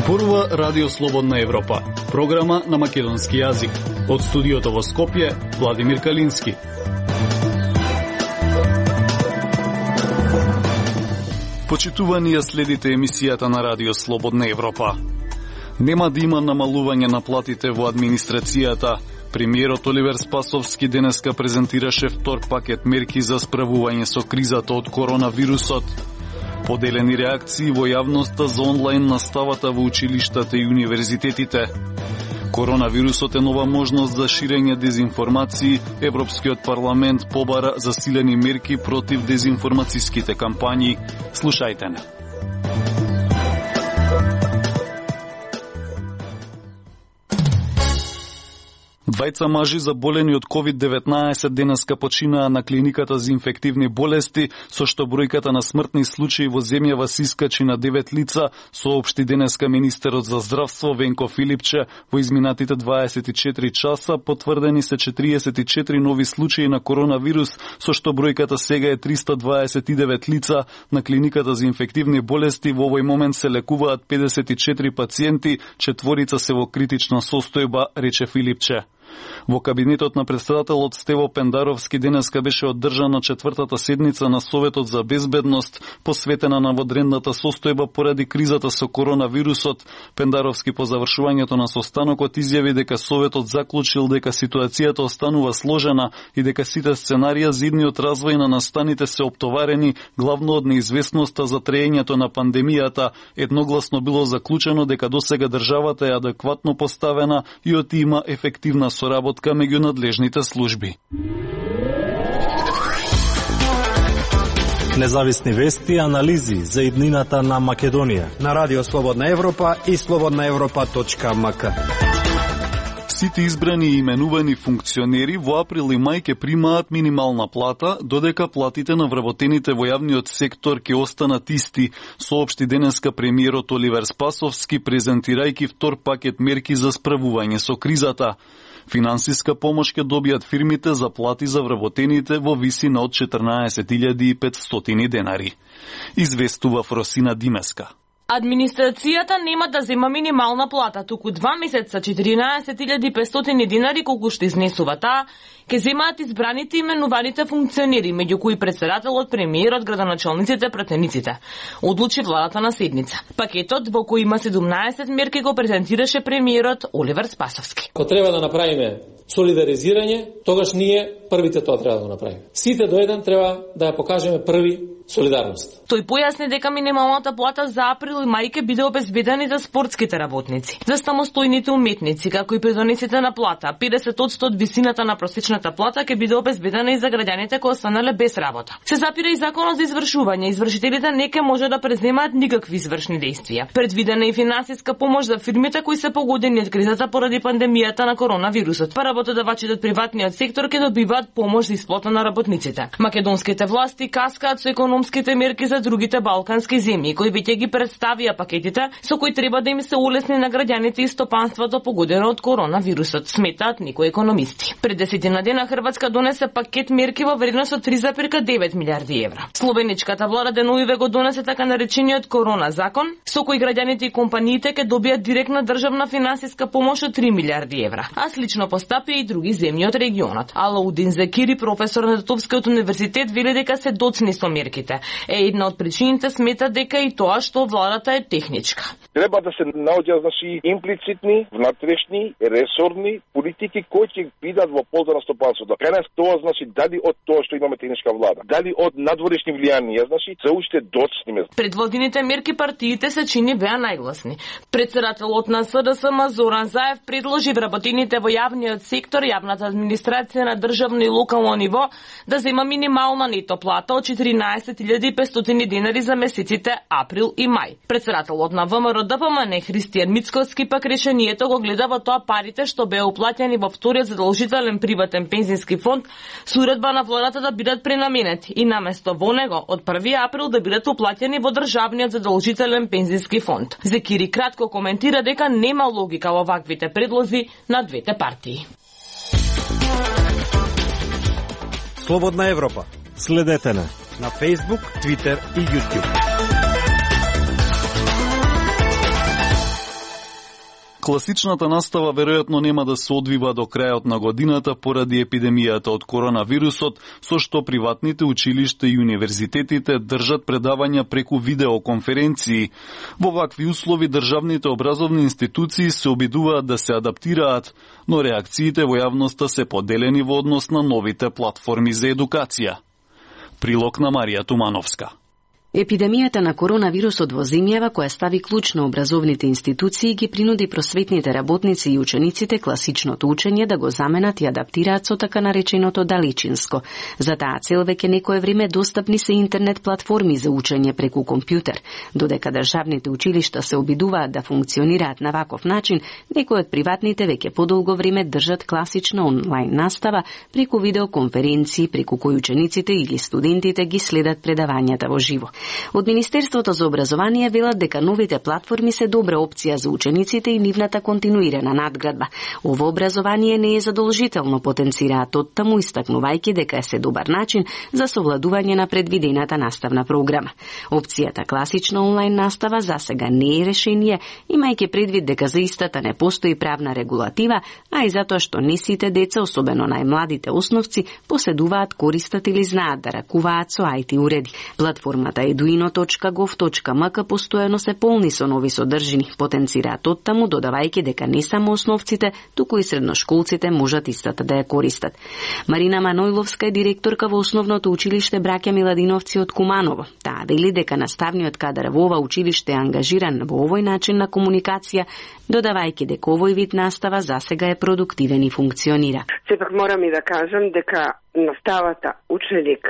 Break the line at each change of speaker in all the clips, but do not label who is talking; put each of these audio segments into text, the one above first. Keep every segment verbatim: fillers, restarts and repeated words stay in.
Зборува Радио Слободна Европа, програма на македонски јазик. Од студиото во Скопје, Владимир Калински. Почитувани ја следите емисијата на Радио Слободна Европа. Нема да има намалување на платите во администрацијата. Премиерот Оливер Спасовски денеска презентираше втор пакет мерки за справување со кризата од коронавирусот. Поделени реакции во јавноста за онлайн наставата во училиштата и универзитетите. Коронавирусот е нова можност за ширење дезинформации. Европскиот парламент побара засилени мерки против дезинформацијските кампањи. Слушајте не. Двајца мажи заболени од ковид деветнаесет денеска починаа на клиниката за инфективни болести, со што бројката на смртни случаи во земјава се искачи на девет лица, соопшти денеска министерот за здравство Венко Филипче. Во изминатите дваесет и четири часа потврдени се четириесет и четири нови случаи на коронавирус, со што бројката сега е триста дваесет и девет лица. На клиниката за инфективни болести во овој момент се лекуваат педесет и четири пациенти, четворица се во критична состојба, рече Филипче. Во кабинетот на претседателот Стево Пендаровски денеска беше одржана четвртата седница на Советот за безбедност, посветена на водредната состојба поради кризата со коронавирусот. Пендаровски по завршувањето на состанокот изјави дека Советот заклучил дека ситуацијата останува сложена и дека сите сценарија за идниот развој на настаните се оптоварени главно од неизвестноста за траењето на пандемијата. Едногласно било заклучено дека досега државата е адекватно поставена и оти има ефективна соработка меѓу надлежните служби.
Независни вести и анализи за иднината на Македонија
на Радио Слободна Европа и слободна европа точка ем ка.
Сите избрани и именувани функционери во април и мај ќе примаат минимална плата, додека платите на вработените во јавниот сектор ќе останат исти, соопшти денеска премиерот Оливер Спасовски презентирајќи втор пакет мерки за справување со кризата. Финансиска помош ќе добијат фирмите за плати за вработените во висина од четрнаесет илјади и петстотини денари. Известува Фросина Димеска.
Администрацијата нема да зема минимална плата, туку два месеца четиринаесет илјади и петстотини денари колку што изнесува таа, ќе земаат избраните именуваните функционери, меѓу кои председателот, премиерот, градоначалниците, пратениците. Одлучи владата на седница. Пакетот во кој има седумнаесет мерки го презентираше премиерот Оливер Спасовски.
Ко треба да направиме солидаризирање, тогаш ние првите тоа треба да го направиме. Сите до еден треба да ја покажеме први солидарност.
Тој појасни дека минималната плата за април и мај ќе биде обезбедена за спортските работници, за самостојните уметници, како и придонесите на плата. педесет одсто од висината на просечната плата ќе биде обезбедена и за граѓаните кои останале без работа. Се запира и законот за извршување. Извршителите не ќе може да преземаат никакви извршни дејствија. Предвидена е финансиска помош за фирмите кои се погодени од кризата поради пандемијата на коронавирусот. Работодавачите од приватниот сектор ќе добиваат помош за исплата на работниците. Македонските власти каскаат со економските мерки за другите балкански земји, кои веќе ги представија пакетите со кои треба да им се улесни на граѓаните и стопанството погодено од коронавирусот, сметаат некои економисти. Пред десетина дена Хрватска донесе пакет мерки во вредност од три зарез девет милијарди евра. Словеничката влада деновиве го донесе така наречениот корона закон, со кој граѓаните и компаниите ќе добијат директна државна финансиска помош од три милијарди евра, а слично постапи и други земји од регионот. Алаудин Закири, професор на Тетовскиот универзитет, вели дека се доцни со мерките. Е една од причините смета дека и тоа што владата е техничка.
Треба да се наоѓаат значи имплицитни, внатрешни, ресорни политики кои ќе бидат во полза на стопанството. Кај тоа значи дали од тоа што имаме техничка влада, дали од надворешни влијанија, значи се уште доцни.
Предводените мерки партиите се чини беа најгласни. Председателот на С Д С М Зоран Заев предложи вработените во јавниот сектор, јавната администрација на државно и локално ниво да зема минимална нето плата од четиринаесет илјади и петстотини денари за месеците април и мај. Председателот на В М Р Д П М Н Христијан Мицковски пак решението го гледа во тоа парите што беа уплатени во вториот задолжителен приватен пензиски фонд со уредба на владата да бидат пренаменети и наместо во него од први април да бидат уплатени во државниот задолжителен пензиски фонд. Зекири кратко коментира дека нема логика во ваквите предлози на двете партии.
Слободна Европа.
Следете на
на Facebook, Twitter и YouTube.
Класичната настава веројатно нема да се одвива до крајот на годината поради епидемијата од коронавирусот, со што приватните училишта и универзитетите држат предавања преку видеоконференции. Во вакви услови државните образовни институции се обидуваат да се адаптираат, но реакциите во јавноста се поделени во однос на новите платформи за едукација. Прилог на Марија Тумановска.
Епидемијата на коронавирусот во земјава, која стави клуч на образовните институции, ги принуди просветните работници и учениците класичното учење да го заменат и адаптираат со така нареченото далечинско. За таа цел веќе некое време достапни се интернет платформи за учење преку компјутер. Додека државните училишта се обидуваат да функционираат на ваков начин, некои од приватните веќе подолго време држат класична онлайн настава преку видеоконференции, преку кои учениците или студентите ги следат предавањата во живо. Од Министерството за образование велат дека новите платформи се добра опција за учениците и нивната континуирана надградба. Ово образование не е задолжително, потенцираат оттаму, истакнувајќи дека е се добар начин за совладување на предвидената наставна програма. Опцијата класична онлайн настава засега не е решение, имајќи предвид дека за истата не постои правна регулатива, а и затоа што не сите деца, особено најмладите основци, поседуваат, користат или знаат да ракуваат со ај ти уреди. Платформата eduino точка gov точка mk постојано се полни со нови содржини, потенцираат оттаму, додавајќи дека не само основците, туку и средношколците можат истата да ја користат. Марина Манојловска е директорка во основното училиште Браќа Миладиновци од Куманово. Таа вели дека наставниот кадар во ова училиште е ангажиран во овој начин на комуникација, додавајќи дека овој вид настава засега е продуктивен и функционира.
Сепак морам и да кажам дека наставата ученик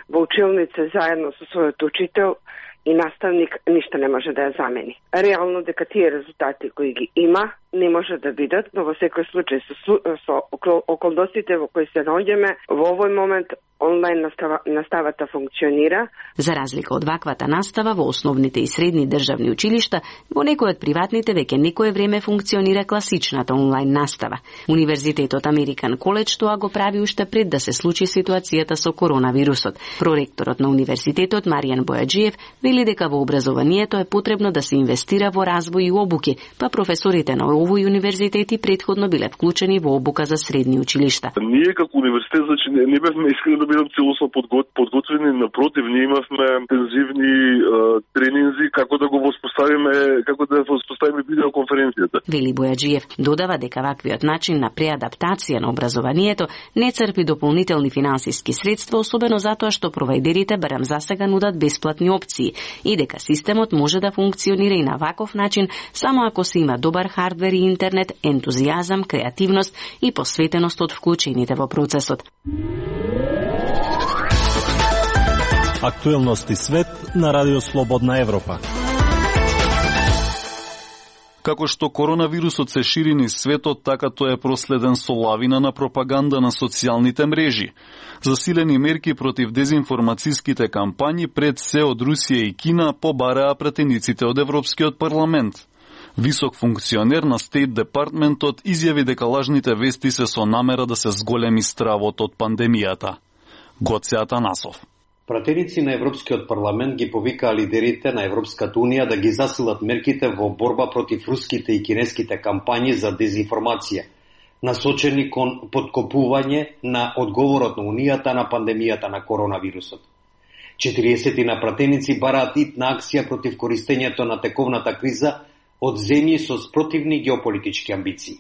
во училница заедно со својот учител и наставник ништо не може да ја замени. Реално дека тие резултати кои ги има не може да бидат, но во секој случај со, со околностите во кои се наоѓаме, во овој момент онлайн настава, наставата функционира.
За разлика од ваквата настава во основните и средни државни училишта, во некои од приватните веќе некое време функционира класичната онлайн настава. Универзитетот Американ Коледж тоа го прави уште пред да се случи ситуацијата со коронавирусот. Проректорот на универзитетот Маријан Бојаджиев вели дека во образованието е потребно да се инвестира во развој и обуки, па професорите на овој универзитети претходно биле вклучени во обука за средни училишта.
Ние како универзитет значи не, не бевме искрени да бидам целосно подготвени, напротив, ние имавме интензивни е, тренинзи како да го воспоставиме, како да воспоставиме видеоконференцијата.
Вели Бојаджиев додава дека ваквиот начин на преадаптација на образованието не црпи дополнителни финансиски средства, особено затоа што провајдерите барем засега нудат бесплатни опции и дека системот може да функционира и на ваков начин само ако се има добар хардвер и интернет, ентузијазам, креативност и посветеност од вклучените во процесот.
Актуелности свет на Радио Слободна Европа.
Како што коронавирусот се шири низ светот, така тој е проследен со лавина на пропаганда на социјалните мрежи. Засилени мерки против дезинформацијските кампањи пред се од Русија и Кина побараа пратениците од Европскиот парламент. Висок функционер на Стейт Департментот изјави дека лажните вести се со намера да се зголеми стравот од пандемијата. Гоце Атанасов.
Пратеници на Европскиот парламент ги повикаа лидерите на Европската унија да ги засилат мерките во борба против руските и кинеските кампањи за дезинформација, насочени кон подкопување на одговорот на Унијата на пандемијата на коронавирусот. четириесет на пратеници бараат итна акција против користењето на тековната криза од земји со спротивни геополитички амбиции.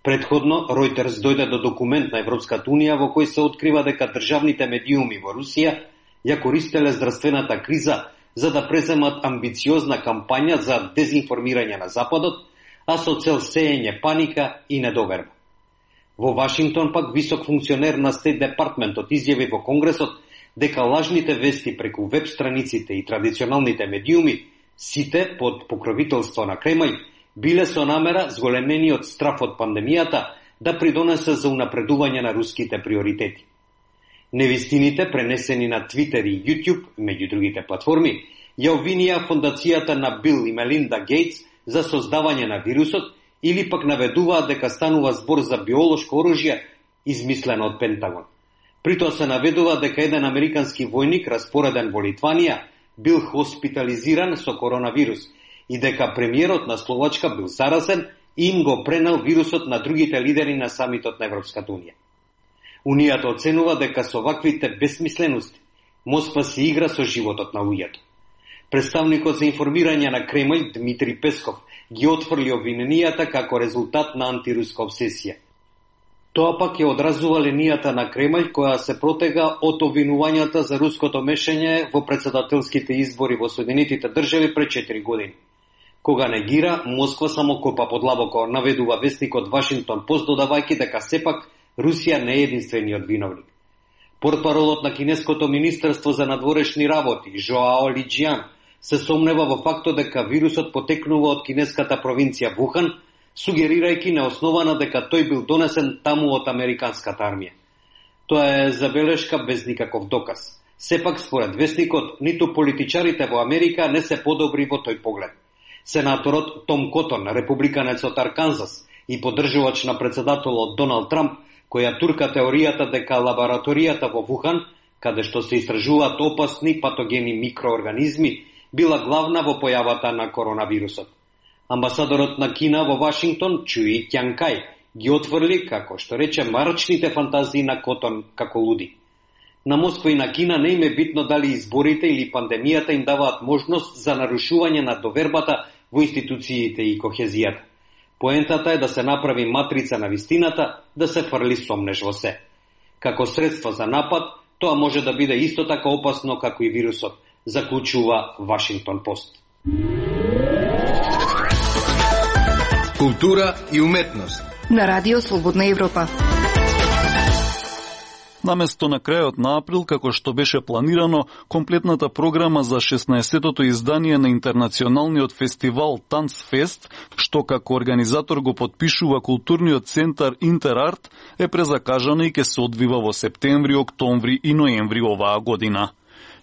Предходно, Reuters дојде до документ на Европската унија во кој се открива дека државните медиуми во Русија ја користеле здравствената криза за да преземат амбициозна кампања за дезинформирање на Западот, а со цел сеење паника и недоверба. Во Вашингтон пак висок функционер на Стейт Департментот изјави во Конгресот дека лажните вести преку веб страниците и традиционалните медиуми, сите под покровителство на Кремљ, биле со намера зголемени од страф од пандемијата да придонесе за унапредување на руските приоритети. Невистините, пренесени на Твитер и YouTube, меѓу другите платформи, ја обвинија фондацијата на Бил и Мелинда Гейтс за создавање на вирусот или пак наведуваат дека станува збор за биолошко оружје измислено од Пентагон. Притоа се наведува дека еден американски војник распореден во Литванија бил хоспитализиран со коронавирус и дека премиерот на Словачка бил заразен и им го пренел вирусот на другите лидери на самитот на Европската унија. Унијата оценува дека со ваквите безсмислености Москва се игра со животот на луѓето. Представникот за информирање на Кремљ Дмитри Песков ги отфрли обвиненијата како резултат на антируска обсесија. Тоа пак ја одразува линијата на Кремљ која се протега од обвинувањата за руското мешање во претседателските избори во Соединетите држави пред четири години. Кога негира, Москва само копа подлабоко, наведува вестникот Вашингтон Пост додавајќи дека сепак Русија не е единствениот виновник. Портпаролот на кинеското министерство за надворешни работи Жоао Лиџиан се сомнева во фактот дека вирусот потекнува од кинеската провинција Вухан, сугерирајќи неоснована дека тој бил донесен таму од американската армија. Тоа е забелешка без никаков доказ. Сепак, според вестникот, ниту политичарите во Америка не се подобри во тој поглед. Сенаторот Том Котон, републиканец од Арканзас и поддржувач на председателот Доналд Трамп, која турка теоријата дека лабораторијата во Вухан, каде што се истражуваат опасни патогени микроорганизми, била главна во појавата на коронавирусот. Амбасадорот на Кина во Вашингтон, Чуи Ќанкај, ги отврли, како што рече, марачните фантазии на Котон како луди. На Москва и на Кина не им е битно дали изборите или пандемијата им даваат можност за нарушување на довербата во институциите и кохезијата. Поентата е да се направи матрица на вистината, да се фрли сомнеш во се. Како средство за напад, тоа може да биде исто така опасно како и вирусот, заклучува Вашингтон Пост.
Култура и уметност
на Радио Слободна Европа.
Наместо на крајот на април, како што беше планирано, комплетната програма за шеснаесеттото издание на интернационалниот фестивал Танцфест, што како организатор го подпишува културниот центар Интерарт, е презакажана и ќе се одвива во септември, октомври и ноември оваа година.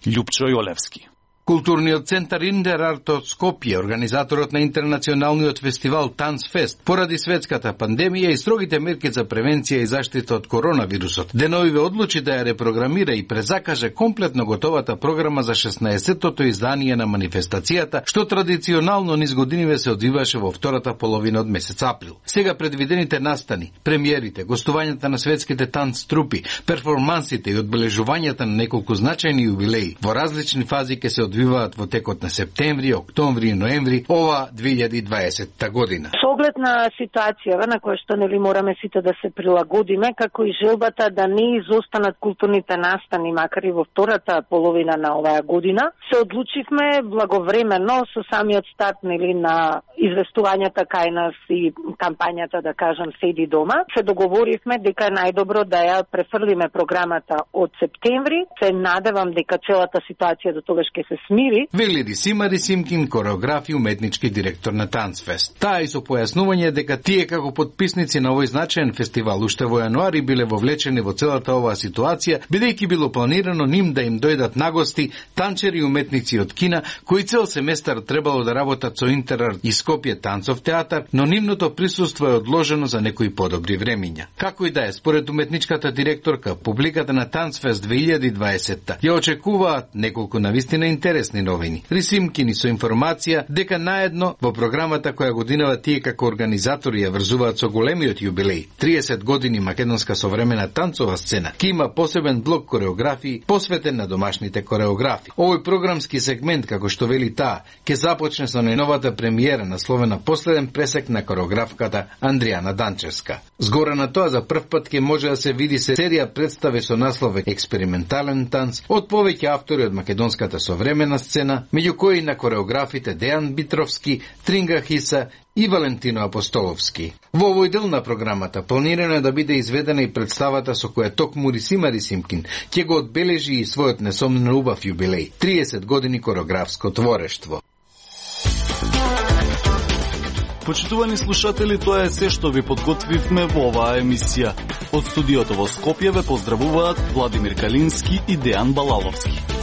Љупчо Јолевски.
Културниот центар Интерарт од Скопје, организаторот на интернационалниот фестивал Танцфест, поради светската пандемија и строгите мерки за превенција и заштита од коронавирусот, деновиве одлучи да ја репрограмира и презакаже комплетно готовата програма за шеснаесеттото издание на манифестацијата, што традиционално низ годиниве се одвиваше во втората половина од месец април. Сега предвидените настани, премиерите, гостувањата на светските танц трупи, перформансите и одбележувањата на неколку значајни јубилеи во различни фази ќе се одвиваат во текот на септември, октомври и ноември ова две илјади и дваесетта година.
Со оглед на ситуацијава на која што нели мораме сите да се прилагодиме, како и желбата да не изостанат културните настани, макар и во втората половина на оваа година, се одлучивме благовремено со самиот старт нели на известувањата кај нас и кампањата, да кажам, Седи дома, се договоривме дека е најдобро да ја префрлиме програмата од септември. Се надевам дека целата ситуација до тогаш ќе се смири.
Вели Рисима Рисимкин, кореограф и уметнички директор на Танцфест. Таа и со појаснување дека тие како подписници на овој значаен фестивал уште во јануари биле вовлечени во целата оваа ситуација, бидејќи било планирано ним да им дојдат нагости танчери и уметници од Кина, кои цел семестар требало да работат со Интерарт и Скопје танцов театар, но нивното присуство е одложено за некои подобри времиња. Како и да е, според уметничката директорка, публиката на Танцфест две илјади и дваесетта ја очекуваат неколку навистина интересни новини. Рисимкини со информација дека наедно во програмата која годинава тие како организатори ја врзуваат со големиот јубилеј триесет години македонска современа танцова сцена, ки има посебен блок кореографии посветен на домашните кореографи. Овој програмски сегмент, како што вели таа, ќе започне со најновата премиера насловена Последен пресек на кореографката Андријана Данчевска. Згора на тоа, за прв пат ќе може да се види се серија представи со наслов Експериментален танц од повеќе автори од македонската современа сцена, меѓу кои на кореографите Дејан Битровски, Тринга Хиса и Валентино Апостоловски. Во овој дел на програмата планирано е да биде изведена и представата со која токму Рисима Рисимкин ќе го одбележи и својот несомнено убав јубилеј – триесет години кореографско творештво.
Почитувани слушатели, тоа е се што ви подготвивме во оваа емисија. Од студиото во Скопје ве поздравуваат Владимир Калински и Дејан Балаловски.